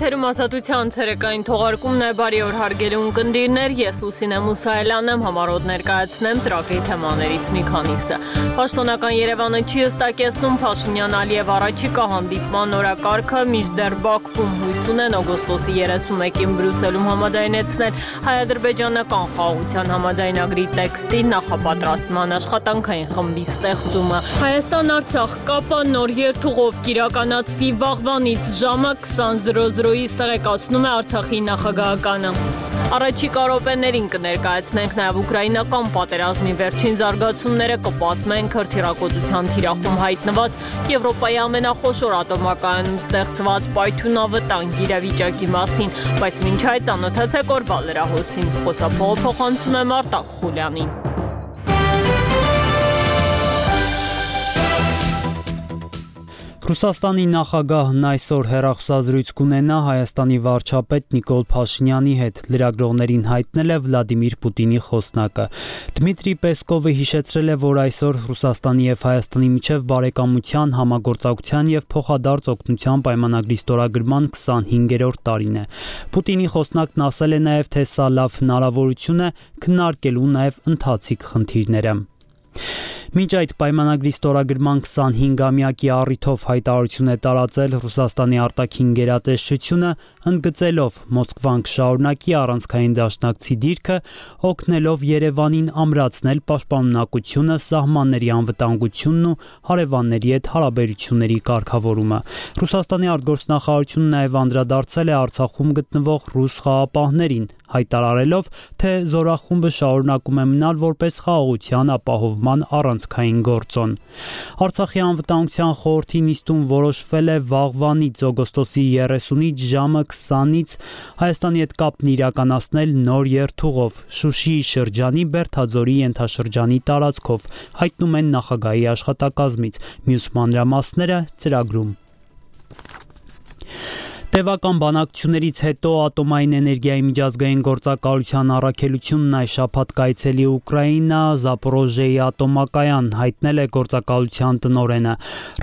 Եթերում ազատության ցերեկային թողարկումն է, բարի օր հարգելի ունկնդիրներ, ես Լուսինե Մուսայելյանն եմ, համառոտ ներկայացնեմ ծրագրի թեմաներից մի քանիսը։ Պաշտոնական Երևանը չի հստակեցնում Փաշինյան-Ալիև առաջիկա հանդիպման օրակարգը, մինչդեռ Բաքվում հույս ունեն օգոստոսի 31-ին Բրյուսելում համաձայնեցնել հայ-ադրբեջանական խաղաղության համաձայնագրի տեքստի նախապատրաստման աշխատանքային խմբի ստեղծումը։ Հայաստան-Արցախ կապը նոր երթուղով կիրականացվի վաղվանից ժամը 20:00-ից տեղեկացնում է Արցախի նախագահականը։ Առաջիկա րոպեներին կներկայացնենք նաև ուկրաինական պատերազմի վերջին զարգացումները, կպատմենք հրթիռակոծության թիրախում հայտնված Եվրոպայի ամենախոշոր ատոմակայանում ստեղծված պայթյունավտանգ իրավիճակի մասին, բայց մինչ այդ ծանոթացեք օրվա լրահոսին։ Խոսափողը փոխանցում է Մարտակ Խուլյանին։ Ռուսաստանի նախագահն այսօր հեռախոսազրույց կունենա Հայաստանի վարչապետ Նիկոլ Փաշինյանի հետ, լրագրողներին հայտնել է Վլադիմիր Պուտինի խոսնակը։ Դմիտրի Պեսկովը հիշեցրել է, որ այսօր Ռուսաստանի եւ Հայաստանի միջև բարեկամության, համագործակցության եւ փոխադարձ օգնության պայմանագրի ստորագրման 25-րդ տարին է։ Պուտինի խոսնակն ասել է նաեւ, թե սա լավ հնարավորություն է քննարկելու նաեւ ընթացիկ խնդիրները։ Մինչ այդ պայմանագրի ստորագրման 25-ամյակի առիթով հայտարարություն է տարածել Ռուսաստանի արտաքին գերատեսչությունը, ընդգծելով Մոսկվան կշարունակի առանցքային դաշնակցի դիրքը, օգնելով Երևանին ամրացնել պաշտպանունակությունը, սահմանների անվտանգությունն ու հարևանների հետ հարաբերությունների կարգավորումը։ Ռուսաստանի արտգործնախարարությունը նաև անդրադարձել է Արցախում գտնվող ռուս խաղապահներին, հայտարարելով, թե զորախումբը շարունակում է մնալ որպես խաղաղության ապահովման առանցքային գործոն։ Արցախի անվտանգության խորհրդի նիստում որոշվել է վաղվանից օգոստոսի 30-ից ժամը 20-ից Հայաստանի հետ կապն իրականացնել նոր երթուղով Շուշիի շրջանի Բերթաձորի ենթաշրջանի տարածքով, հայտնում են նախագահի աշխատակազմից, մյուս մանրամասները ծրագրում։ Տևական բանակցություններից հետո Ատոմային էներգիայի միջազգային գործակալության առաքելությունն այս շաբաթ կայցելի Ուկրաինա, Զապորոժիեի ատոմակայան, հայտնել է գործակալության տնօրենը։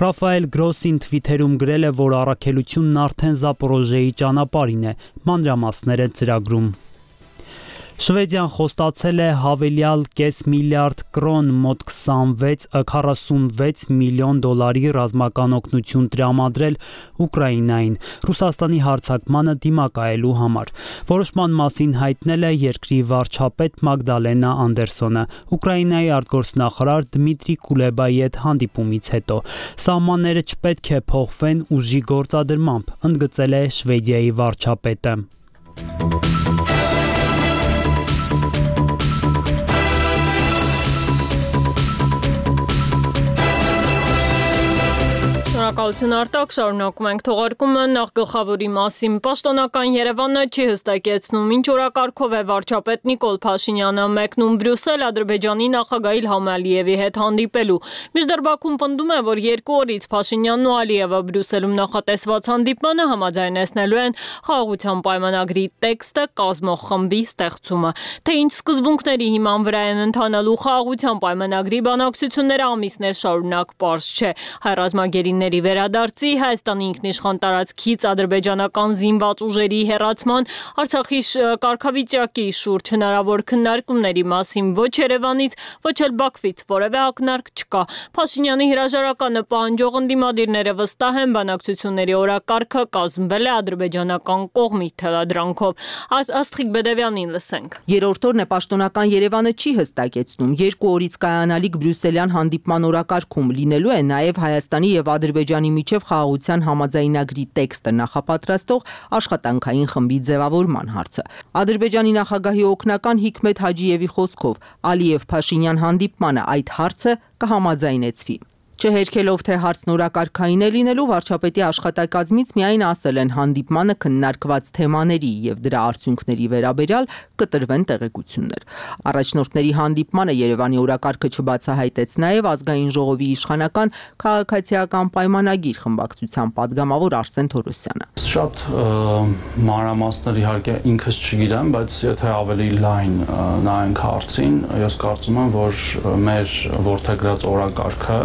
Ռաֆայել Գրոսին թվիթերում գրել է, որ առաքելությունն արդեն Զապորոժիեի ճանապարհին է, մանրամասները ծրագրում։ Շվեդիան խոստացել է հավելյալ կես միլիարդ կրոն մոտ 46 միլիոն դոլարի ռազմական օգնություն տրամադրել Ուկրաինային Ռուսաստանի հարձակմանը դիմակայելու համար։ Որոշման մասին հայտնել է երկրի վարչապետ Մագդալենա Անդերսոնը Ուկրաինայի արտգործնախարար Դմիտրի Կուլեբայի հետ հանդիպումից հետո։ Սահմանները չպետք է փոխվեն ուժի գործադրմամբ, ընդգծել է Շվեդիայի վարչապետը։ Շնորհակալություն Արտակ, շարունակում ենք թողարկումը, նախ գլխավորի մասին։ Պաշտոնական Երևանը չի հստակեցնում, ինչ օրակարգով է վարչապետ Նիկոլ Փաշինյանը մեկնում Բրյուսել Ադրբեջանի նախագահ Իլհամ Ալիևի հետ հանդիպելու։ Մինչդեռ Բաքուն պնդում է, որ 2 օրից Փաշինյանն ու Ալիևը Բրյուսելում նախատեսված հանդիպմանը համաձայնեցնելու են խաղաղության պայմանագրի տեքստը կազմող խմբի ստեղծումը։ Թե ինչ սկզբունքների հիման վրա են ընթանալու խաղաղության պայմանագրի բանակցությունները ամիսներ շարունակ պարզ չէ։ Հայ ռազմագերիների վերադարձի, Հայաստանի ինքնիշխան տարածքից ադրբեջանական զինված ուժերի հեռացման, Արցախի կարգավիճակի շուրջ հնարավոր քննարկումների մասին ոչ Երևանից, ոչ էլ Բաքվից որևէ ակնարկ չկա։ Փաշինյանի հրաժարականը պահանջող ընդդիմադիրները վստահ են, բանակցությունների օրակարգը կազմվել է ադրբեջանական կողմի թելադրանքով։ Աստղիկ Բեդևյանին լսենք։ Երրորդ օրն է պաշտոնական Երևանը չի հստակեցնում։ 2 օրից կայանալիք բրյուսելյան հանդիպման օրակարգում լինելու է նաև Հայաստանի եւ Ադրբեջանի միջև խաղաղության համաձայնագրի տեքստը նախապատրաստող աշխատանքային խմբի ձևավորման հարցը։ Ադրբեջանի նախագահի օգնական Հիկմետ Հաջիևի խոսքով Ալիև-Փաշինյան հանդիպմանը այդ հարցը կհամաձայնեցվի։ Չհերքելով, թե հարցն օրակարգային է լինելու, վարչապետի աշխատակազմից միայն ասել են հանդիպմանը քննարկված թեմաների եւ դրա արդյունքների վերաբերյալ կտրվեն տեղեկություններ։ Առաջնորդների հանդիպմանը Երևանի օրակարգը չբացահայտեց նաեւ ազգային ժողովի իշխանական քաղաքացիական պայմանագիր խմբակցության падգամավոր Արսեն Թորոսյանը։ Շատ մանրամասներ իհարկե ինքս չգիտեմ, բայց եթե ավելի լայն նայենք հարցին, ես կարծում եմ, որ մեր որդեգրած օրակարգը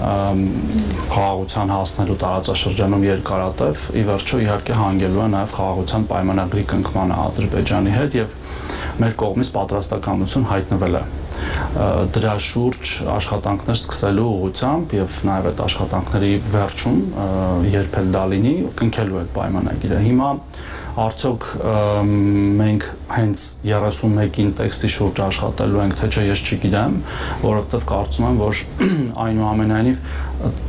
խաղաղության հասնելու տարածաշրջանում երկարատև ի վերջո իհարկե հանգելու է նաև խաղաղության պայմանագրի կնքմանը Ադրբեջանի հետ եւ մեր կողմից պատրաստակամություն հայտնվել է դրա շուրջ աշխատանքներ սկսելու ուղղությամբ եւ նաև այդ աշխատանքների վերջում երբ էլ դա լինի կնքելու այդ պայմանագիրը հիմա արդյոք մենք հենց 31-ին տեքստի շուրջ աշխատելու ենք թե չէ ես չգիտեմ որովհետեւ կարծում եմ որ այնուամենայնիվ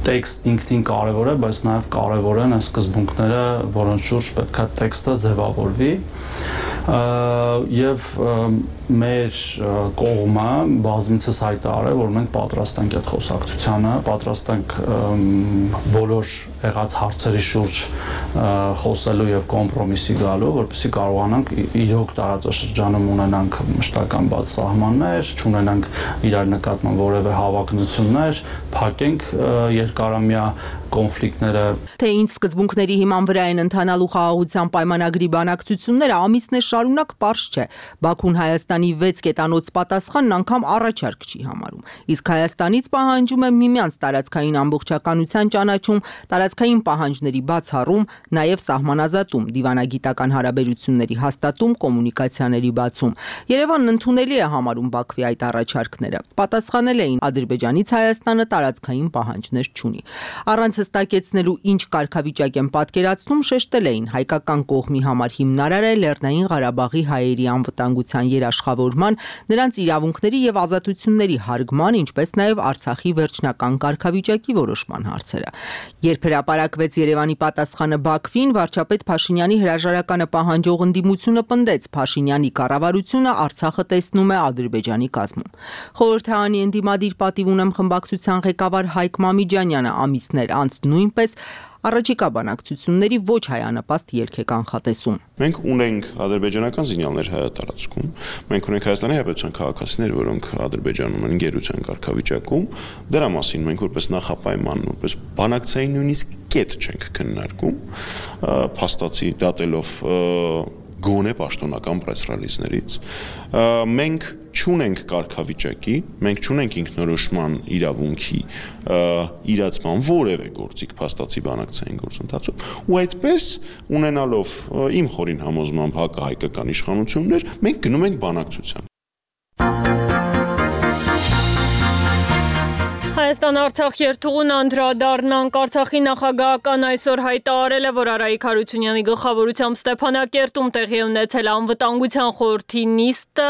տեքստը ինքնին կարևոր է բայց նաև կարևոր են այն սկզբունքները որոնց շուրջ պետք է տեքստը ձևավորվի եւ մեր կողմը բազմիցս հայտարարել որ մենք պատրաստ ենք այդ խոսակցությանը, պատրաստ ենք բոլոր եղած հարցերի շուրջ խոսելու եւ կոմպրոմիսի գալու, որպեսզի կարողանանք իրոք տարածաշրջանում ունենանք մշտական բաց սահմաններ, չունենանք իրար նկատմամբ որևէ հավակնություններ, փակենք երկարամյա կոնֆլիկտները թե ինչ սկզբունքների հիման վրա են ընթանալու խաղաղության պայմանագրի բանակցությունները ամիսներ շարունակ պարզ չէ Բաքուն Հայաստանի 6 կետանոց պատասխանն անգամ առաջարկ չի համարում իսկ Հայաստանից պահանջում է միմյանց տարածքային ամբողջականության ճանաչում տարածքային պահանջների բացառում նաև սահմանազատում դիվանագիտական հարաբերությունների հաստատում կոմունիկացիաների բացում Երևանն ընդունելի է համարում Բաքվի այդ առաջարկները պատասխանել էին Ադրբեջանից Հայաստանը տարածքային պահանջներ չունի առանց հստակեցնելու ինչ կարգավիճակ են պատկերացնում շեշտել էին հայկական կողմի համար հիմնարար է Լեռնային Ղարաբաղի հայերի անվտանգության երաշխավորման, նրանց իրավունքների եւ ազատությունների հարգման, ինչպես նաեւ Արցախի վերջնական կարգավիճակի որոշման հարցերը։ Երբ հրապարակվեց Երևանի պատասխանը Բաքվին, վարչապետ Փաշինյանի հրաժարականը պահանջող ընդդիմությունը պնդեց Փաշինյանի կառավարությունը Արցախը տեսնում է Ադրբեջանի կազմում։ Խորհրդարանի ընդդիմադիր պատիվ ունեմ խմբակցության ղեկավար Հայկ Մամիջանյանը ամիսներ անց նույնպես Առաջիկա բանակցությունների ոչ հայանպաստ ելք է կանխատեսում։ Մենք ունենք ադրբեջանական զինյալներ հայատարածքում, մենք ունենք Հայաստանի Հանրապետության քաղաքացիներ, որոնք Ադրբեջանում են գերության կարգավիճակում, դրա մասին մենք որպես նախապայման, որպես բանակցային նույնիսկ կետ չենք քննարկում, փաստացի դատելով գոնե պաշտոնական պրես-ռելիզներից մենք չունենք կարգավիճակի, մենք չունենք ինքնորոշման իրավունքի իրացման որևէ գործիք փաստացի բանակցային գործընթացում ու այդպես ունենալով իմ խորին համոզմամբ հակահայկական իշխանություններ մենք գնում ենք բանակցության Հայաստան-Արցախ երթուղուն անդրադառնանք Արցախի նախագահական այսօր հայտարարել է, որ Արայիկ Հարությունյանի գլխավորությամբ Ստեփանակերտում տեղի ունեցել անվտանգության խորհրդի նիստը,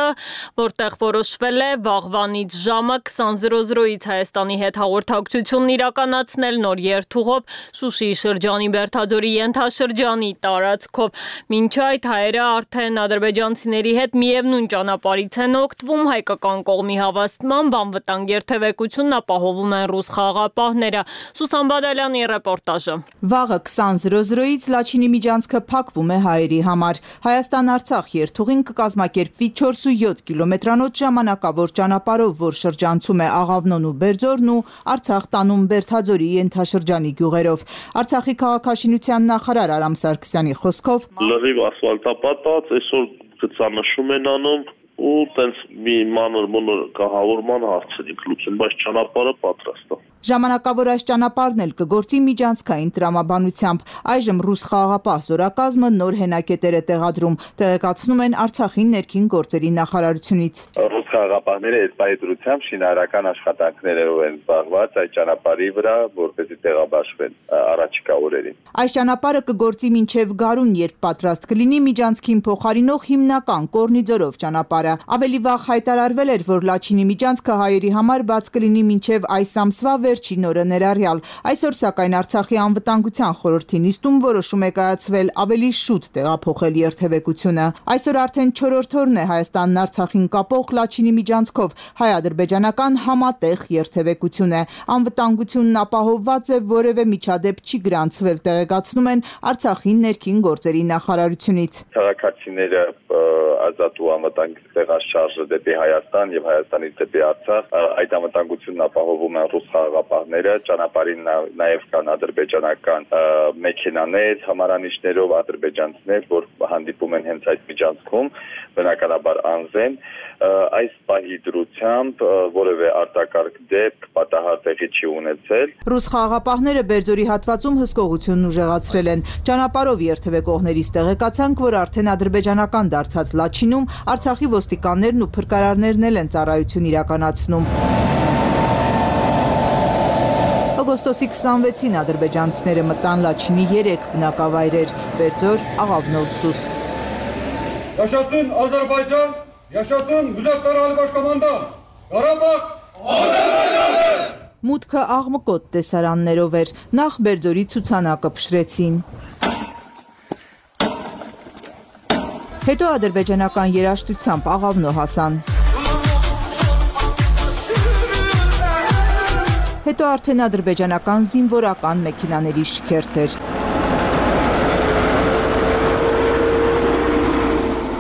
որտեղ որոշվել է վաղվանից ժամը 20:00-ից Հայաստանի հետ հաղորդակցությունն իրականացնել նոր երթուղով Շուշիի շրջանի Բերթաձորի ենթաշրջանի տարածքով։ Մինչ այդ հայերը արդեն ադրբեջանցիների հետ միևնույն ճանապարհից են օգտվում հայկական կողմի հավաստմամբ անվտանգ երթևեկությունն ապահովում են ռուս խաղաղապահները։ Սուսան Բադալյանի ռեպորտաժը։ Վաղը 20:00-ից Լաչինի միջանցքը փակվում է հայերի համար։ Հայաստան-Արցախ երթուղին կկազմակերպվի 4.7 կիլոմետրանոց ժամանակավոր ճանապարհով, որ շրջանցում է Աղավնոն ու Բերձորն ու Արցախ տանում Բերթաձորի ենթաշրջանի գյուղերով։ Արցախի քաղաքաշինության նախարար Արամ Սարգսյանի խոսքով լրիվ ասֆալտապատած, այսօր գծանշում են անում ու տենց մի մանր-մունր կահավորման հարցերի լուծում, բայց ճանապարհը պատրաստ է։ Ժամանակավոր այս ճանապարհն էլ կգործի միջանցքային տրամաբանությամբ։ Այժմ ռուս խաղաղապահ զորակազմը նոր հենակետեր է տեղադրում, տեղեկացնում են Արցախի ներքին գործերի նախարարությունից։ Ռուս խաղաղապահները այդ պայծրությամբ շինարարական աշխատանքներով են զբաղված այդ ճանապարհի վրա, որպեսզի տեղաբաշխվեն առաջիկա օրերին։ Այս ճանապարհը կգործի մինչև գարուն, երբ պատրաստ կլինի միջանցքին փոխարինող հիմնական Կորնիձորով ճանապարհը։ Ավելի վաղ հայտարարվել էր, որ Լաչինի միջանցքը հայերի համար բաց կլինի մինչև այս ամսվա վերջին օրը ներառյալ։ Այսօր սակայն Արցախի անվտանգության խորհրդի նիստում որոշում է կայացվել ավելի շուտ տեղափոխել երթևեկությունը։ Այսօր արդեն 4-րդ օրն է Հայաստանն Արցախին կապող Լաչինի միջանցքով հայ-ադրբեջանական համատեղ երթևեկություն է։ Անվտանգությունն ապահովված է, որևէ միջադեպ չի գրանցվել, տեղեկացնում են Արցախի ներքին գործերի նախարարությունից։ Քաղաքացիները ազատ ու անվտանգ տեղաշարժը դեպի Հայաստան եւ Հայաստանից դեպի Արցախ այդ անվտանգությունն ապահովում են ռուս խաղապահները, ճանապարհին նաև կան ադրբեջանական մեքենաներ, համարանիշներով ադրբեջանցիներ, որ հանդիպում են հենց այդ միջանցքում, բնականաբար անձեն, այս պահի դրությամբ որևէ արտակարգ դեպք պատահար տեղի չի ունեցել։ Ռուս խաղապահները Բերձորի հատվածում հսկողությունն ուժեղացրել են։ Ճանապարհով երթևեկողներից տեղեկացանք, որ արդեն ադրբեջանական դարձած Լաչինում Արցախի ոստիկաններն ու փրկարարներն են ծառայություն իրականացնում։ Օգոստոսի 26-ին ադրբեջանցիները մտան Լաչինի 3 բնակավայրեր՝ Բերձոր, Աղավնոտ, Սուս։ Yaşasın Azerbaycan, yaşasın Müzakkaral Başkomandan, Qarabağ Azərbaycandır։ Մուտքը աղմկոտ տեսարաններով էր, նախ Բերձորի ցուցանակը փշրեցին։ Հետո ադրբեջանական երաժշտությամբ Աղավնո հասան։ Հետո արդեն ադրբեջանական զինվորական մեքենաների շքերթ էր։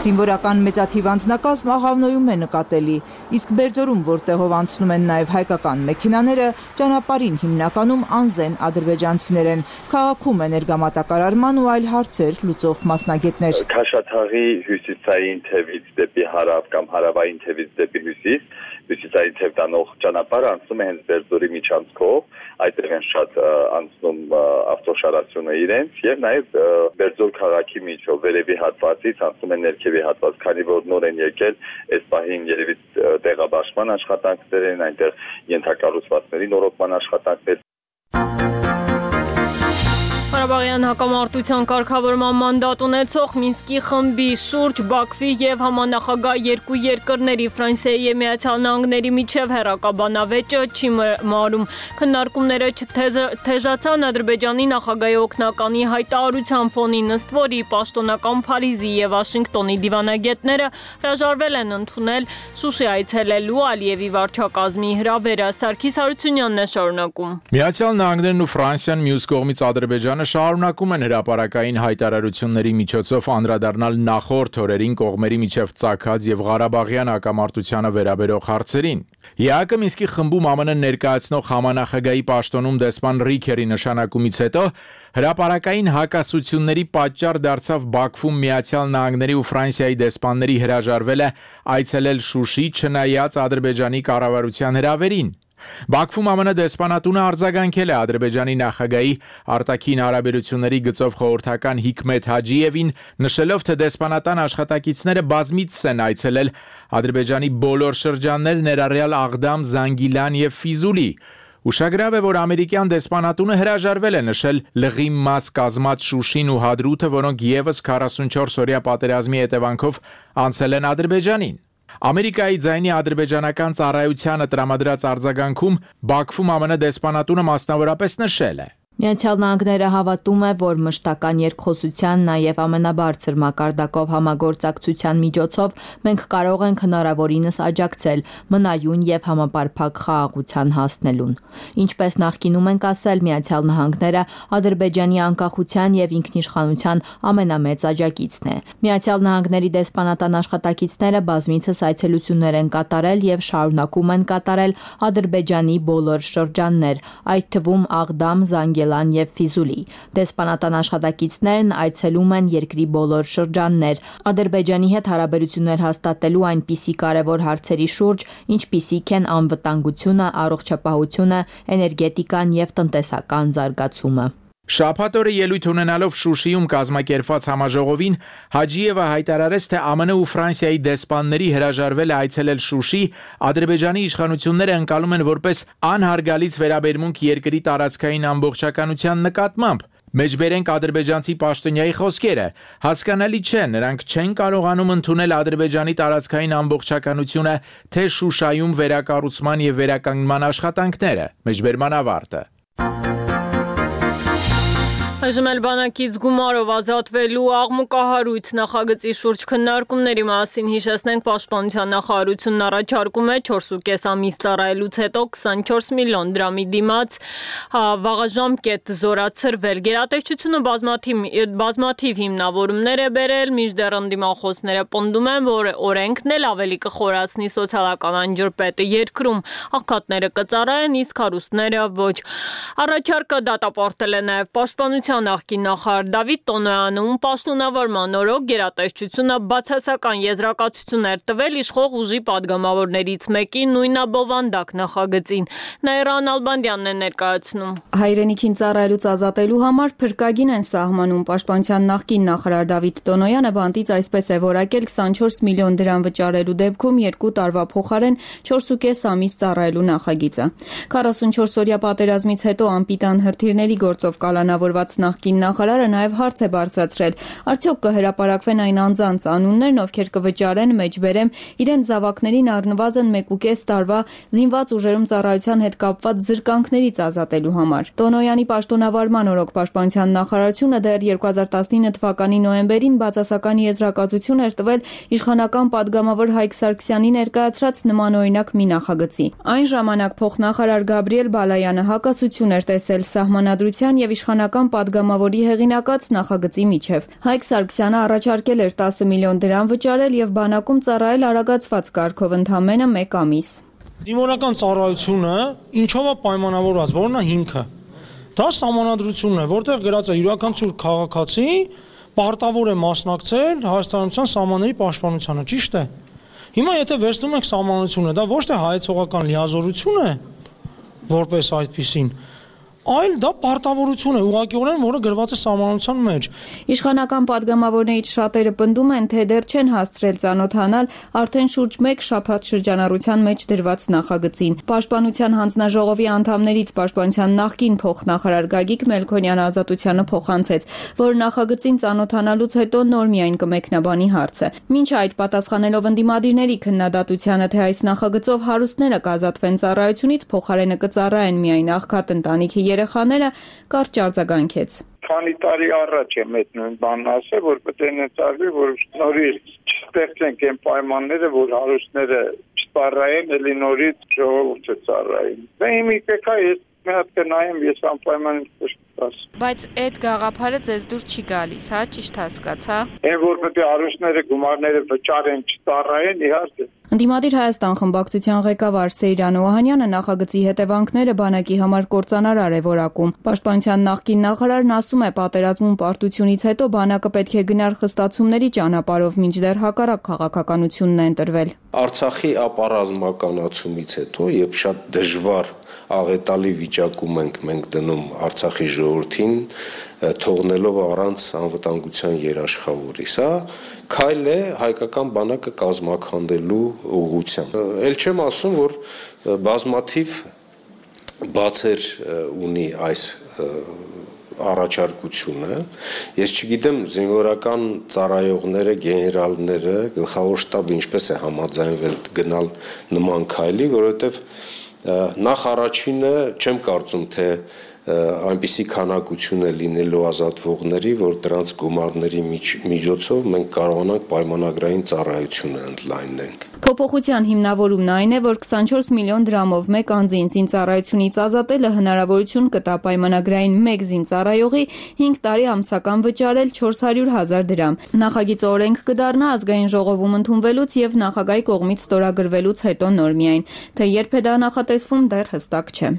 Զինվորական մեծաթիվ անձնակազմ Աղավնոյում է նկատելի, իսկ Բերձորում, որտեղով անցնում են նաև հայկական մեքենաները, ճանապարհին հիմնականում անզեն ադրբեջանցիներ են։ Քաղաքում էներգամատակարարման ու այլ հարցեր լուծող մասնագետներ։ Քաշաթաղի հյուսիսային թևից դեպի հարավ կամ հարավային թևից դեպի հյուսիսային թև տանող ճանապարհը անցնում է հենց Բերձորի միջանցքով, այդտեղ են շատ անցնում ավտոշարացյունը իրենց եւ նաեւ Բերձոր քաղաքի միջով վերևի հատվածից անցնում են ներքևի հատված, քանի որ նոր են եկել, այս պահին երևի տեղաբաշխման աշխատանքներ են, այնտեղ ենթակառուցվածքների նորոգման աշխատանքներ։ Ղարաբաղյան հակամարտության կարգավորման մանդատ ունեցող Մինսկի խմբի շուրջ Բաքվի եւ համանախագահ երկու երկրների Ֆրանսիայի եւ Միացյալ Նահանգների միջև հերակաբանավեճը չի մարում։ Քննարկումները թեժացան Ադրբեջանի նախագահի օգնականի հայտարարության ֆոնին, ըստ որի պաշտոնական Փարիզի եւ Վաշինգտոնի դիվանագետները հրաժարվել են ընդունել Շուշի այցելելու Ալիևի վարչակազմի հրավերը։ Սարգիս Հարությունյանն է շարունակում։ Միացյալ Նահանգներն ու Ֆրանսիան մյուս կողմից Ադրբեջանը շարունակում են հրապարակային հայտարարությունների միջոցով անդրադառնալ նախորդ օրերին կողմերի միջև ծագած եւ Ղարաբաղյան հակամարտությանը վերաբերող հարցերին։ ԵԱԿ Մինսկի խմբում ԱՄՆ ներկայացնող համանախագահի պաշտոնում դեսպան Ռիքերի նշանակումից հետո հրապարակային հակասությունների պատճառ դարձավ Բաքվում Միացյալ Նահանգների ու Ֆրանսիայի դեսպանների հրաժարվելը այցելել Շուշի, չնայած Ադրբեջանի կառավարության հրավերին։ Բաքվում ԱՄՆ դեսպանատունը արձագանքել է Ադրբեջանի նախագահի արտաքին հարաբերությունների գծով խորհրդական Հիկմեթ Հաջիևին, նշելով, թե դեսպանատան աշխատակիցները բազմիցս են այցելել Ադրբեջանի բոլոր շրջաններ, ներառյալ Աղդամ, Զանգիլան եւ Ֆիզուլի։ Ուշագրավ է, որ ամերիկյան դեսպանատունը հրաժարվել է նշել լղի մաս կազմած Շուշին ու Հադրութը, որոնք եւս 44-օրյա պատերազմի հետևանքով անցել են Ադրբեջանին։ Ամերիկայի ձայնի ադրբեջանական ծառայությանը տրամադրած արձագանքում Բաքվում ԱՄՆ դեսպանատունը մասնավորապես նշել է. Միացյալ Նահանգները հավատում է, որ մշտական երկխոսության, նաև ամենաբարձր մակարդակով համագործակցության միջոցով մենք կարող ենք հնարավորինս աջակցել մնայուն եւ համապարփակ խաղաղության հասնելուն։ Ինչպես նախկինում ենք ասել, Միացյալ Նահանգները Ադրբեջանի անկախության եւ ինքնիշխանության ամենամեծ աջակիցն է։ Միացյալ Նահանգների դեսպանատան աշխատակիցները բազմիցս այցելություններ են կատարել եւ շարունակում են կատարել Ադրբեջանի բոլոր շրջաններ, այդ թվում Աղդամ, Զանգիլան եւ Ֆիզուլի։ Դեսպանատան աշխատակիցներն այցելում են երկրի բոլոր շրջաններ, Ադրբեջանի հետ հարաբերություններ հաստատելու այնպիսի կարևոր հարցերի շուրջ, ինչպիսիք են անվտանգությունը, առողջապահությունը, էներգետիկան եւ տնտեսական զարգացումը։ Շաբաթ օրը ելույթ ունենալով Շուշիում կազմակերպված համաժողովին Հաջիևը հայտարարեց, թե ԱՄՆ ու Ֆրանսիայի դեսպանների հրաժարվել է այցելել Շուշի, Ադրբեջանի իշխանությունները ընկալում են որպես անհարգալից վերաբերմունք երկրի տարածքային ամբողջականության նկատմամբ։ Մեջբերենք ադրբեջանցի պաշտոնյայի խոսքերը։ Հասկանալի չէ, նրանք չեն կարողանում ընդունել Ադրբեջանի տարածքային ամբողջականությունը, թե Շուշայում վերակառուցման եւ վերականգնման աշխատանքները։ Մեջբերման ավարտը։ Այժմ էլ բանակից գումարով ազատվելու աղմուկահարույց նախագծի շուրջ քննարկումների մասին հիշեցնենք Պաշտպանության նախարարությունն առաջարկում է 4.5 ամիս ծառայելուց հետո 24 միլիոն դրամի դիմաց վաղաժամկետ զորացրվել։ Գերատեսչությունը բազմաթիվ հիմնավորումներ է բերել, մինչդեռ ընդդիմախոսները պնդում են, որ օրենքն էլ ավելի կխորացնի սոցիալական անջրպետը երկրում, աղքատները կծառայեն, իսկ հարուստները ոչ։ Առաջարկը դատապարտել է նաև Պաշտպանության նախկին նախարար Դավիթ Տոնոյանը, պաշտոնավարման օրոք գերատեսչությունը բացասական եզրակացություններ տվել իշխող ուժի падգամավորներից մեկի նույնաբովանդակ նախագծին։ Նաիրա Նալբանդյանն է ներկայացնում։ Հայրենիքին ծառայելուց ազատելու համար փրկագին են սահմանում։ Պաշտպանության նախկին նախարար Դավիթ Տոնոյանը բանտից այսպես է որակել 24 միլիոն դրամ վճարելու դեպքում 2 տարվա փոխարեն 4.5 ամիս ծառայելու նախագիծը։ 44-օրյա պատերազմից հետո անպիտան հրթիռների գործով կալանավորված նախկին նախարարը նաև հարց է բարձրացրել. արդյոք կհրապարակվեն այն անձանց անուններն, ովքեր կվճարեն մեջբերեմ իրենց զավակներին առնվազն 1.5 տարվա զինված ուժերում ծառայության հետ կապված զրկանքներից ազատելու համար։ Տոնոյանի պաշտոնավարման օրոք Պաշտպանության նախարարությունը դեռ 2019 թվականի նոյեմբերին բացասական եզրակացություն էր տվել իշխանական падգամավոր Հայկ Սարգսյանի ներկայացրած նմանօրինակ մի նախագծի։ Այն ժամանակ փոխնախարար Գաբրիել Բալայանը հակասություն էր տեսել սահմանադրության եւ իշխանական падգամավորի հեղինակած նախագծի միջև։ Հայկ Սարգսյանը առաջարկել էր 10 միլիոն դրամ վճարել եւ բանակում ծառայել արագացված կարգով ընդամենը 1 ամիս։ Զինվորական ծառայությունը ինչով է պայմանավորված, որն է հիմքը։ Դա սահմանադրությունն է, որտեղ գրած է յուրաքանչյուր քաղաքացի պարտավոր է մասնակցել հայաստանության սահմանների պաշտպանությանը, ճիշտ է։ Հիմա եթե վերցնում ենք սահմանությունը, դա ոչ թե հայեցողական լիազորություն է, որպես այդպիսին, այլ դա պարտավորություն է ուղղակիորեն, որը գրված է սահմանության մեջ։ Իշխանական падգամավորներից շատերը պնդում են, թե դեռ չեն հասցրել ծանոթանալ արդեն շուրջ 1 շաբաթ շրջանառության մեջ դրված նախագծին։ Պաշտպանության հանձնաժողովի անդամներից Պաշտպանության նախկին փոխնախարար Գագիկ Մելքոնյանը Ազատությանը փոխանցեց, որ նախագծին ծանոթանալուց հետո նոր միայն կմեկնաբանի հարցը։ Մինչ այդ պատասխանելով ընդդիմադիրների քննադատությանը, թե այս նախագծով հարուստները կազատվեն ծառայությունից, փոխարենը կծառայեն միայն աղքատ ընտանիքի երեխաները, կարճ արձագանքեց։ Քանի տարի առաջ եմ այդ նույն բանն ասել, որ պետք է ներծարվի, որ նորից չստեղծենք այն պայմանները, որ հարուստները չծառայեն, էլի նորից ժողովուրդը ծառայեն։ Դե հիմա եկա ես մի հատ կնայեմ, ես անպայման կշտաս։ Բայց այդ գաղափարը ձեզ դուր չի գալիս, հա, ճիշտ հասկացա։ Այն որ պետք է հարուստները գումարները վճարեն, չծառայեն, իհարկե։ Ընդդիմադիր Հայաստան խմբակցության ղեկավար Սեյրան Օհանյանը նախագծի հետևանքները բանակի համար կործանարար է որակում։ Պաշտպանության նախկին նախարարն ասում է, պատերազմում պարտությունից հետո բանակը պետք է գնար խստացումների ճանապարհով, մինչդեռ հակառակ քաղաքականությունն է ընտրվել։ Արցախի ապառազմականացումից հետո, երբ շատ դժվար աղետալի վիճակում մենք դնում Արցախի ժողովրդին, թողնելով առանց անվտանգության երաշխավորի, սա քայլ է հայկական բանակը կազմաքանդելու ուղղությամբ։ Էլ չեմ ասում, որ բազմաթիվ բացեր ունի այս առաջարկությունը։ Ես չգիտեմ զինվորական ծառայողները, գեներալները, գլխավոր շտաբը ինչպես է համաձայնվել գնալ նման քայլի, որովհետև նախ առաջինը չեմ կարծում, թե այնպիսի քանակություն է լինելու ազատվողների, որ դրանց գումարների միջոցով մենք կարողանանք պայմանագրային ծառայությունը ընդլայնենք։ Փոփոխության հիմնավորումն այն է, որ 24 միլիոն դրամով մեկ անձին զինծառայությունից ազատելը հնարավորություն կտա պայմանագրային մեկ զինծառայողի 5 տարի ամսական վճարել 400,000 դրամ։ Նախագիծը օրենք կդառնա ազգային ժողովում ընդունվելուց եւ նախագահի կողմից ստորագրվելուց հետո նոր միայն, թե երբ է դա նախատեսվում, դեռ հստակ չէ։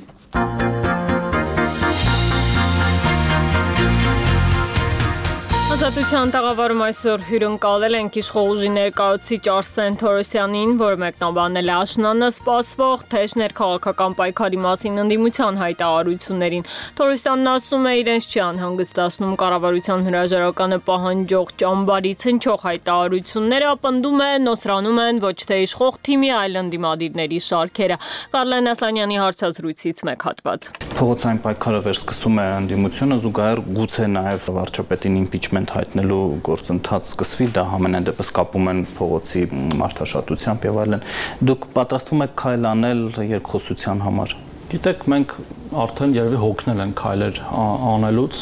Ազատության տաղավարում այսօր հյուրընկալել ենք իշխող ուժի ներկայացուցիչ Արսեն Թորոսյանին, որը մեկնաբանել է աշնանը սպասվող թեժ ներքաղաքական պայքարի մասին ընդդիմության հայտարարություններին։ Թորոսյանն ասում է, իրենց չի անհանգստացնում կառավարության հրաժարականը պահանջող ճամբարից հնչող հայտարարությունները, պնդում է նոսրանում են ոչ թե իշխող թիմի, այլ ընդդիմադիրների շարքերը։ Կարլեն Ասլանյանի հարցազրույցից մեկ հատված։ Փողոցային պայքարը վերսկսում է ընդդիմությունը, զուգահեռ գուցե նաև վարչապետին իմպիչմենտ հայտնելու գործընթաց սկսվի, դա համենայն դեպս կապում են փողոցի մարդաշատությամբ եւ այլն։ Դուք պատրաստվում եք քայլ անել երկխոսության համար։ Գիտեք, մենք արդեն երևի հոգնել են քայլեր անելուց,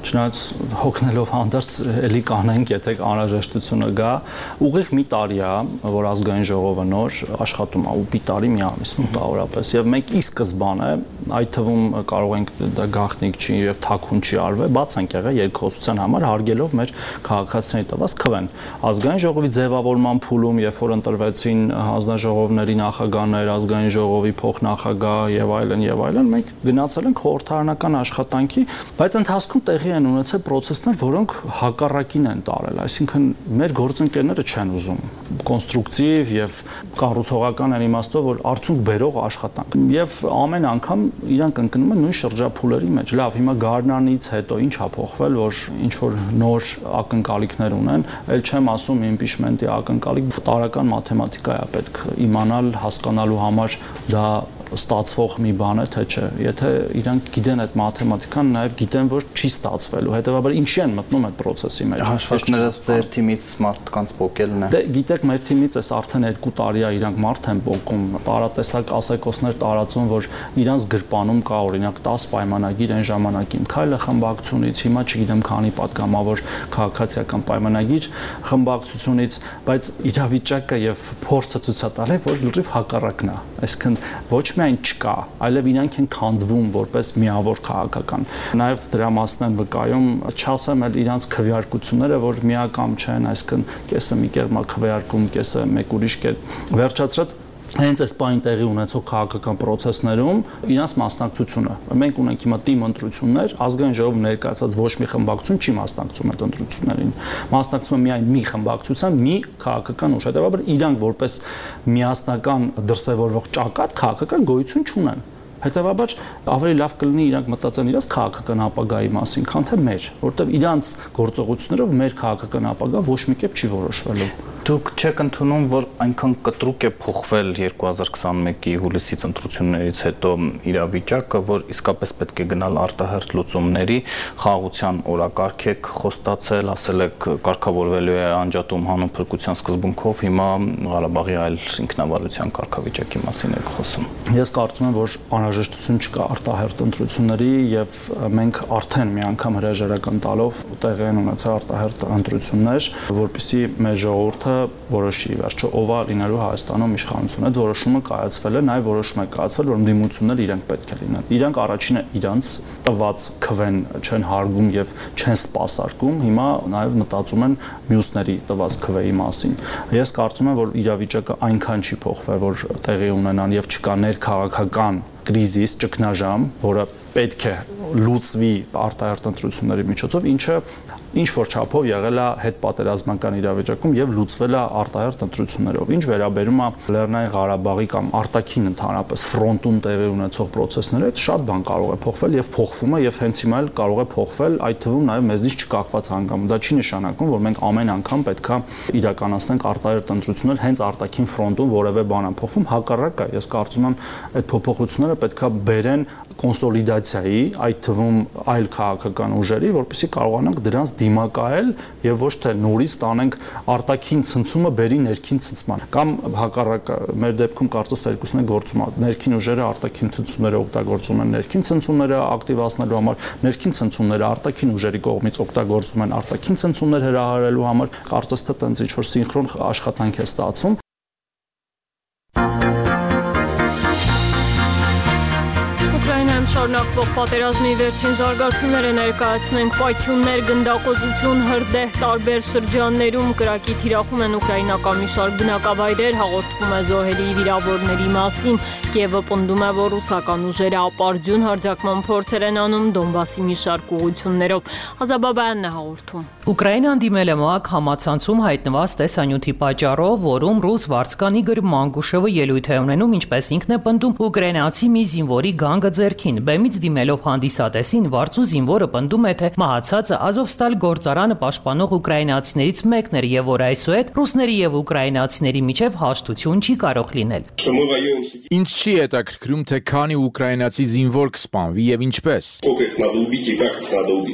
չնայած հոգնելով հանդերձ էլի կանենք, եթե անհրաժեշտությունը գա, ուղիղ մի տարի է, որ ազգային ժողովը նոր աշխատում է, ու մի տարի մի ամիս մոտավորապես, եւ մենք ի սկզբանե, այդ թվում կարող ենք դա գաղտնիք չի եւ թաքուն չի արվել, բաց ենք եղել երկխոսության համար, հարգելով մեր քաղաքացիների տված քվեն։ Ազգային ժողովի ձևավորման փուլում, երբ որ ընտրվեցին հանձնաժողովների նախագահներ, ազգային ժողովի փոխնախագահ եւ այլն, մենք գնացել ենք խորհրդարանական աշխատանքի, բայց ընթացքում տեղի են ունեցել process-ներ, որոնք հակառակին են տարել, այսինքն մեր գործընկերները չեն ուզում կոնստրուկտիվ եւ կառուցողական են իմաստով, որ արդյունք բերող աշխատանք։ Եվ ամեն անգամ իրանք ընկնում են նույն շրջափուլերի մեջ։ Լավ, հիմա Գարնանից հետո ինչ է փոխվել, որ ինչ որ նոր ակնկալիքներ ունեն, ել չեմ ասում impeachment-ի ակնկալիք, տարական մաթեմատիկա է պետք իմանալ, հասկանալու համար դա ստացվող մի բան է, թե չէ։ Եթե իրանք գիտեն այդ մաթեմատիկան, նաև գիտեն, որ չի ստացվելու։ Հետևաբար ինչի են մտնում այդ process-ի մեջ։ Հաշվարկները ձեր թիմից մարդկանց փոկելն է։ Դե գիտեք, մեր թիմից էս արդեն 2 տարի է իրանք մարդ են փոկում, տարատեսակ ասեկոսներ տարածում, որ իրանց գրպանում կա օրինակ 10 պայմանագիր այն ժամանակին քայլը խմբակցությունից, հիմա չգիտեմ քանի պատգամավոր քաղաքացիական պայմանագիր խմբակցությունից, բայց իրավիճակը եւ փորձը ցույց է տալի, որ լրիվ հակառակն է։ Այսինքն ոչ միայն չկա, այլև իրանք են քանդվում որպես միավոր քաղաքական։ Նաև դրա մասն են վկայում, չասեմ էլ իրանք քվեարկությունները, որ միակամ չեն, այսինքն կեսը մի կերպ քվեարկում, կեսը մեկ ուրիշ կերպ։ Վերջացրած հենց այս բանի տեղի ունեցող քաղաքական process-ներում իրանց մասնակցությունը։ Մենք ունենք հիմա թիմ ընտրություններ, ազգային ժողովը ներկայացած ոչ մի խմբակցություն չի մասնակցում այդ ընտրություններին։ Մասնակցում է միայն մի խմբակցության, մի քաղաքական ուժ, հետևաբար իրանք որպես միասնական դրսևորվող ճակատ քաղաքական գոյություն չունեն։ Հետևաբար ավելի լավ կլինի իրանք մտածեն իրաց քաղաքական ապագայի մասին, քան թե մեր, որովհետև իրանց գործողություններով մեր քաղաքական ապագա ոչ մի կերպ չի որոշվելու։ Դուք չեք ընդունում, որ այնքան կտրուկ է փոխվել 2021-ի հուլիսից ընտրություններից հետո իրավիճակը, որ իսկապես պետք է գնալ արտահերթ լուծումների, խաղաղության օրակարգ եք խոստացել, ասել եք կարգավորվելու է անջատում հանուն փրկության սկզբունքով, հիմա Ղարաբաղի այլ ինքնավարության կարգավիճակի մասին եք խոսում։ Ես կարծում եմ, որ անհրաժեշտություն չկա արտահերթ ընտրությունների եւ մենք արդեն մի անգամ հրաժարական տալով տեղի են ունեցել արտահերթ ընտրություններ, որպեսզի մեր ժողովուրդը որոշի վերջո ով է լինելու Հայաստանում իշխանություն։ Այդ որոշումը կայացվել է, նաև որոշում է կայացվել, որ ընդդիմությունները իրենք պետք է լինեն։ Իրանք առաջինը իրանց տված քվեն չեն հարգում եւ չեն սպասարկում, հիմա նաև մտածում են մյուսների տված քվեի մասին։ Ես կարծում եմ, որ իրավիճակը այնքան չի փոխվել, որ տեղի ունենան եւ չկա ներքաղաքական կրիզիս, ճգնաժամ, որը պետք է լուծվի արտահերթ ընտրությունների միջոցով, ինչը ինչ որ չափով եղել է հետպատերազմական իրավիճակում եւ լուծվել է արտահերթ ընտրություններով։ Ինչ վերաբերում է Լեռնային Ղարաբաղի կամ արտաքին ընդհանրապես ֆրոնտում տեղի ունեցող process-ները, այդ շատ բան կարող է փոխվել եւ փոխվում է եւ հենց հիմա էլ կարող է փոխվել, այդ թվում նաեւ մեզնից չկախված հանգամ։ Դա չի նշանակում, որ մենք ամեն անգամ պետքա իրականացնենք արտահերթ ընտրություններ հենց արտաքին ֆրոնտում որևէ բան է փոխվում, հակառակը, ես կարծում եմ այդ փոփոխությունները պետքա բերեն կոնսոլիդացիայի, այդ թվում այլ քաղաքական ուժերի, որպեսզի կարողանանք դրանց դիմակայել եւ ոչ թե նորից տանենք արտաքին ցնցումը բերի ներքին ցնցման կամ հակառակը մեր դեպքում կարծես երկուսն է գործում ներքին ուժերը արտաքին ցնցումները օգտագործում են ներքին ցնցումները ակտիվացնելու համար ներքին ցնցումները արտաքին ուժերի կողմից օգտագործում են արտաքին ցնցումներ հրահարելու համար կարծես թե տենց ինչ որ սինխրոն աշխատանք է ստացվում Շարունակվող պատերազմի վերջին զարգացումները ներկայացնենք պայթյուններ, գնդակոծություն, հրդեհ տարբեր շրջաններում կրակի թիրախում են ուկրաինական մի շարք բնակավայրեր, հաղորդվում է զոհերի վիրավորների մասին, Կիևը պնդում է, որ ռուսական ուժերը ապարդյուն հարձակման փորձեր են անում Դոնբասի մի շարք ուղղություններով։ Ազաբաբյանն է հաղորդում։ Ուկրաինան դիմել է ՄԱԿ համացանցում հայտնված տեսանյութի պատճառով, որում ռուս վարձկան Իգոր Մանգուշովը ելույթ է ունենում, ինչպես ինքն է պնդում, ուկրաինացի մի զինվորի գանգը ձեռքին։ Բեմից դիմելով հանդիսատեսին վարձու զինվորը պնդում է, թե մահացածը Ազովստալ գործարանը պաշտպանող ուկրաինացիներից մեկն էր եւ որ այսուհետ ռուսների եւ ուկրաինացիների միջև հաշտություն չի կարող լինել։ Ինձ չի հետաքրքրում, թե քանի ուկրաինացի զինվոր կսպանվի եւ ինչպես։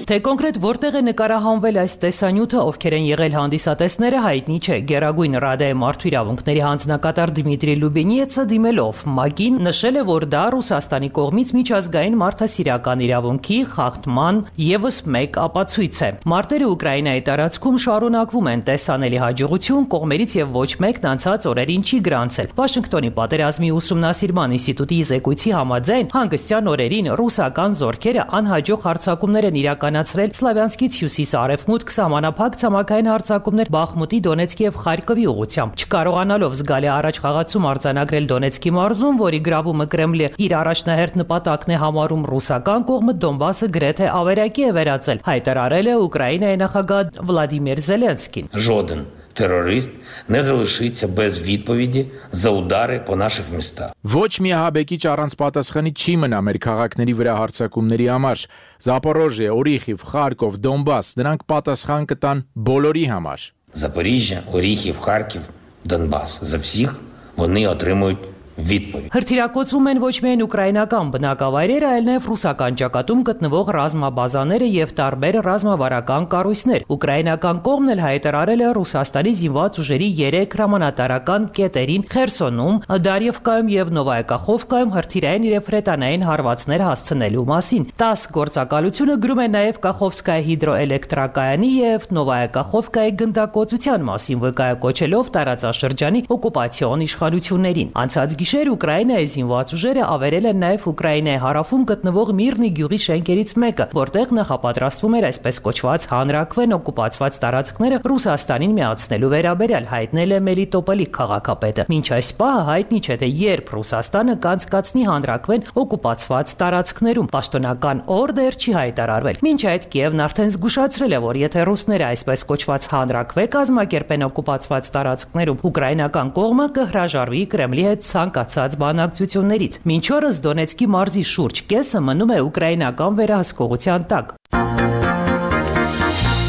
Թե կոնկրետ որտեղ է նկարահանվել այս տեսանյութը, ովքեր են եղել հանդիսատեսները, հայտնի չէ։ Գերագույն Ռադայի մարդու իրավունքների հանձնակատար Դմիտրի Լուբենիեցը դիմելով ՄԱԿ-ին նշել է, որ դա Ռուսաստանի կողմից միջազգային միայն մարդասիրական իրավունքի խախտման եւս մեկ ապացույց է։ Մարտերը Ուկրաինայի տարածքում շարունակվում են տեսանելի հաջողություն, կողմերից եւ ոչ մեկն անցած օրերին չի գրանցել։ Վաշինգտոնի պատերազմի ուսումնասիրման ինստիտուտի զեկույցի համաձայն հանգստյան օրերին ռուսական զորքերը անհաջող հարձակումներ են իրականացրել Սլավյանսկից հյուսիս-արևմուտք սահմանափակ ցամաքային հարձակումներ Բախմուտի, Դոնեցկի եւ Խարկովի ուղղությամբ։ Չկարողանալով զգալի առաջխաղացում արձանագրել Դոնեցկի մարզում, որի գրավումը Կրեմլը իր առաջնահերթ նպատակն է համարում, ռուսական կողմը Դոնբասը գրեթե ավերակի է վերածել, հայտարարել է Ուկրաինայի նախագահ Վլադիմիր Զելենսկին։ Жоден терорист не залишиться без відповіді за удари по наших містах. Ոչ մի ահաբեկիչ առանց պատասխանի չի մնա մեր քաղաքների վրա հարձակումների համար։ Զապորոժիե, Օրիխիվ, Խարկով, Դոնբաս, դրանք պատասխան կտան բոլորի համար։ Запоріжжя, Оріхів, Харків, Донбас. За всіх вони отримують відповідь. Հրթիռակոծվում են ոչ միայն ուկրաինական բնակավայրերը, այլ նաև ռուսական ճակատում գտնվող ռազմաբազաները եւ տարբեր ռազմավարական կառույցներ։ Ուկրաինական կողմն էլ հայտարարել է Ռուսաստանի զինված ուժերի 3 հրամանատարական կետերին Խերսոնում, Դարիևկայում եւ Նովայեկախովկայում հրթիռային եւ հրետանային հարվածներ հասցնելու մասին։ 10 գործակալությունը գրում է նաև Կախովսկայի հիդրոէլեկտրակայանի եւ Նովայեկախովկայի գնդակոծության մասին, վկայակոչելով տարածաշրջանի օկուպացիոն իշխանություններին։ Անցած գիշեր Ուկրաինայի զինված ուժերը ավերել են նաև Ուկրաինայի հարավում գտնվող Միրնի գյուղի շենքերից մեկը, որտեղ նախապատրաստվում էր այսպես կոչված հանրաքվեն օկուպացված տարածքները Ռուսաստանին միացնելու վերաբերյալ, հայտնել է Մելիտոպոլի քաղաքապետը։ Մինչ այս պահը հայտնի չէ, թե երբ Ռուսաստանը կանցկացնի հանրաքվեն օկուպացված տարածքներում։ Պաշտոնական օրդեր չի հայտարարվել։ Մինչ այդ Կիևն արդեն զգուշացրել է, որ եթե ռուսները այսպես կոչված հանրաքվե կազմակերպեն օկուպացված տարածքներում, ուկրաինական կողմը կհրաժարվի Կրեմլի հետ ցանկացած բանակցություններից։ Մինչ օրս Դոնեցկի մարզի շուրջ կեսը մնում է ուկրաինական վերահսկողության տակ։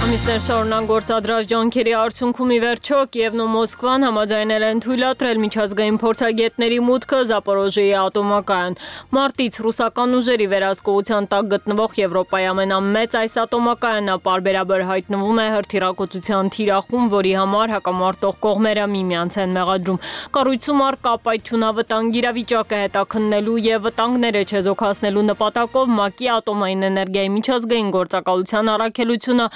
Ամիսներ շարունակ գործադրած ջանքերի արդյունքում ի վերջո Կիևն ու Մոսկվան համաձայնել են թույլատրել միջազգային փորձագետների մուտքը Զապորոժիեի ատոմակայան։ Մարտից ռուսական ուժերի վերահսկողության տակ գտնվող Եվրոպայի ամենամեծ այս ատոմակայանը պարբերաբար հայտնվում է հրթիռակոծության թիրախում, որի համար հակամարտող կողմերը միմյանց են մեղադրում։ Կառույցում առկա պայթյունավտանգ իրավիճակը հետաքննելու եւ վտանգները չեզոքացնելու նպատակով ՄԱԿ-ի ատոմային էներգիայի միջազգային գործակալության առաքելությունը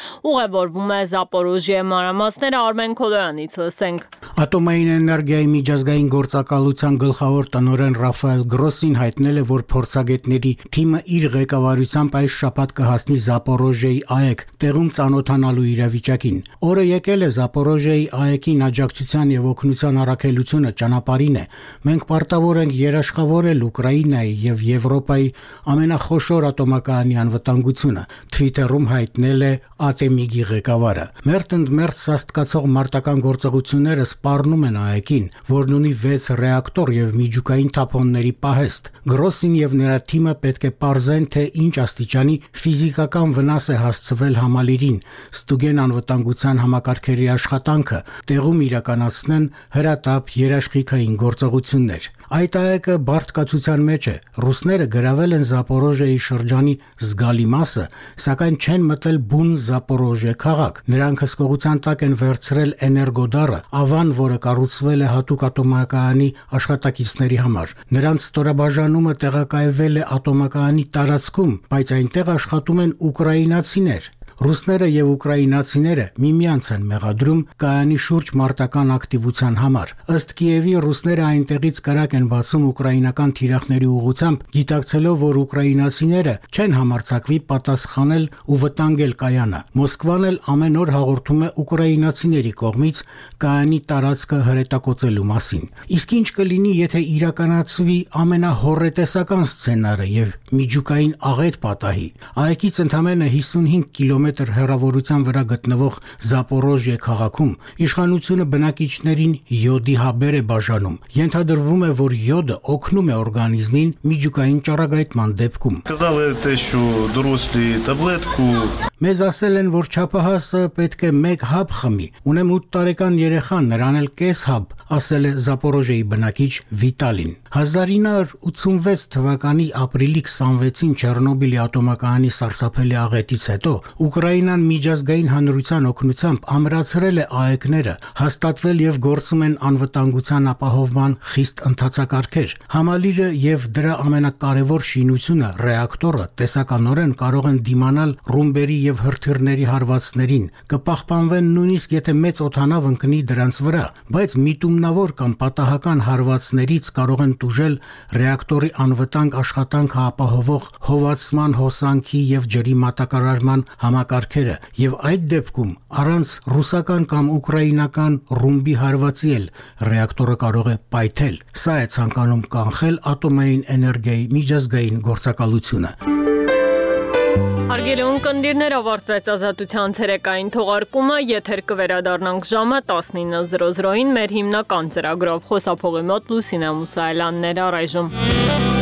ուղևորվում է Զապորոժիե։ Մանրամասները Արմեն Քոլոյանից լսենք։ Ատոմային էներգիայի միջազգային գործակալության գլխավոր տնօրեն Ռաֆայել Գրոսին հայտնել է, որ փորձագետների թիմը իր ղեկավարությամբ այս շաբաթ կհասնի Զապորոժիեի ԱԵԿ, տեղում ծանոթանալու իրավիճակին։ Օրը եկել է Զապորոժիեի ԱԵԿ-ին աջակցության եւ օգնության առաքելությունը ճանապարհին է։ Մենք պարտավոր ենք երաշխավորել Ուկրաինայի եւ Եվրոպայի ամենախոշոր ատոմակայանի անվտանգությունը, Twitter-ում հայտնել է ԱՏՄԻԳ-ի ղեկավարը։ Մերթ սաստկացող մարտական գործողությունները սպառնում են ԱԵԿ-ին, որն ունի 6 ռեակտոր եւ միջուկային թափոնների պահեստ։ Գրոսին եւ նրա թիմը պետք է պարզեն, թե ինչ աստիճանի ֆիզիկական վնաս է հասցվել համալիրին, ստուգեն անվտանգության համակարգերի աշխատանքը, տեղում իրականացնեն հրատապ երաշխիքային գործողություններ։ Այդ ԱԵԿ-ը բարդկացության մեջ է։ Ռուսները գրավել են Զապորոժիեի շրջանի զգալի մասը, սակայն չեն մտել բուն Զապորոժիե քաղաք։ Նրանք հսկողության տակ են վերցրել Էներգոդարը, ավան, որը կառուցվել է հատուկ ատոմակայանի աշխատակիցների համար։ Նրանց ստորաբաժանումը տեղակայվել է ատոմակայանի տարածքում, բայց այնտեղ աշխատում են ուկրաինացիներ։ Ռուսները եւ ուկրաինացիները միմյանց են մեղադրում կայանի շուրջ մարտական ակտիվության համար։ Ըստ Կիևի ռուսները այնտեղից կրակ են բացում ուկրաինական թիրախների ուղղությամբ, գիտակցելով, որ ուկրաինացիները չեն համարձակվի պատասխանել ու վտանգել կայանը։ Մոսկվան էլ ամեն օր հաղորդում է ուկրաինացիների կողմից կայանի տարածքը հրետակոծելու մասին։ Իսկ ինչ կլինի, եթե իրականացվի ամենահոռետեսական սցենարը եւ միջուկային աղետ պատահի։ ԱԵԿ-ից ընդամենը 55 կիլոմետր հեռավորության վրա գտնվող Զապորոժիե քաղաքում իշխանությունը բնակիչներին յոդի հաբեր է բաժանում։ Ենթադրվում է, որ յոդը օգնում է օրգանիզմին միջուկային ճառագայթման դեպքում։ Մեզ ասել են, որ չափահասը պետք է 1 հաբ խմի։ Ունեմ 8 տարեկան երեխան, նրան էլ կես հաբ, ասել է Զապորոժիեի բնակիչ Վիտալին։ 1986 թվականի ապրիլի 26-ին Չեռնոբիլի ատոմակայանի սարսափելի աղետից հետո Ուկրաինան միջազգային հանրության օգնությամբ ամրացրել է ԱԷԿ-ները, հաստատվել եւ գործում են անվտանգության ապահովման խիստ ընթացակարգեր։ Համալիրը եւ դրա ամենակարևոր շինությունը՝ ռեակտորը, տեսականորեն կարող են դիմանալ ռումբերի եւ հրթիռների հարվածներին, կպահպանվեն նույնիսկ եթե մեծ օդանավ ընկնի դրանց վրա, բայց միտումնավոր կամ պատահական հարվածներից կարող են տուժել ռեակտորի անվտանգ աշխատանքը ապահովող հովացման, հոսանքի եւ ջրի մատակարարման համակարգերը, եւ այդ դեպքում առանց ռուսական կամ ուկրաինական ռումբի հարվածի էլ ռեակտորը կարող է պայթել։ Սա է ցանկանում կանխել ատոմային էներգիայի միջազգային գործակալությունը։ Հարգելի ունկնդիրներ, ավարտվեց Ազատության ցերեկային թողարկումը, եթեր կվերադառնանք ժամը 19:00-ին մեր հիմնական ծրագրով։ Խոսափողի մոտ Լուսինե Մուսայելյանն էր առայժմ։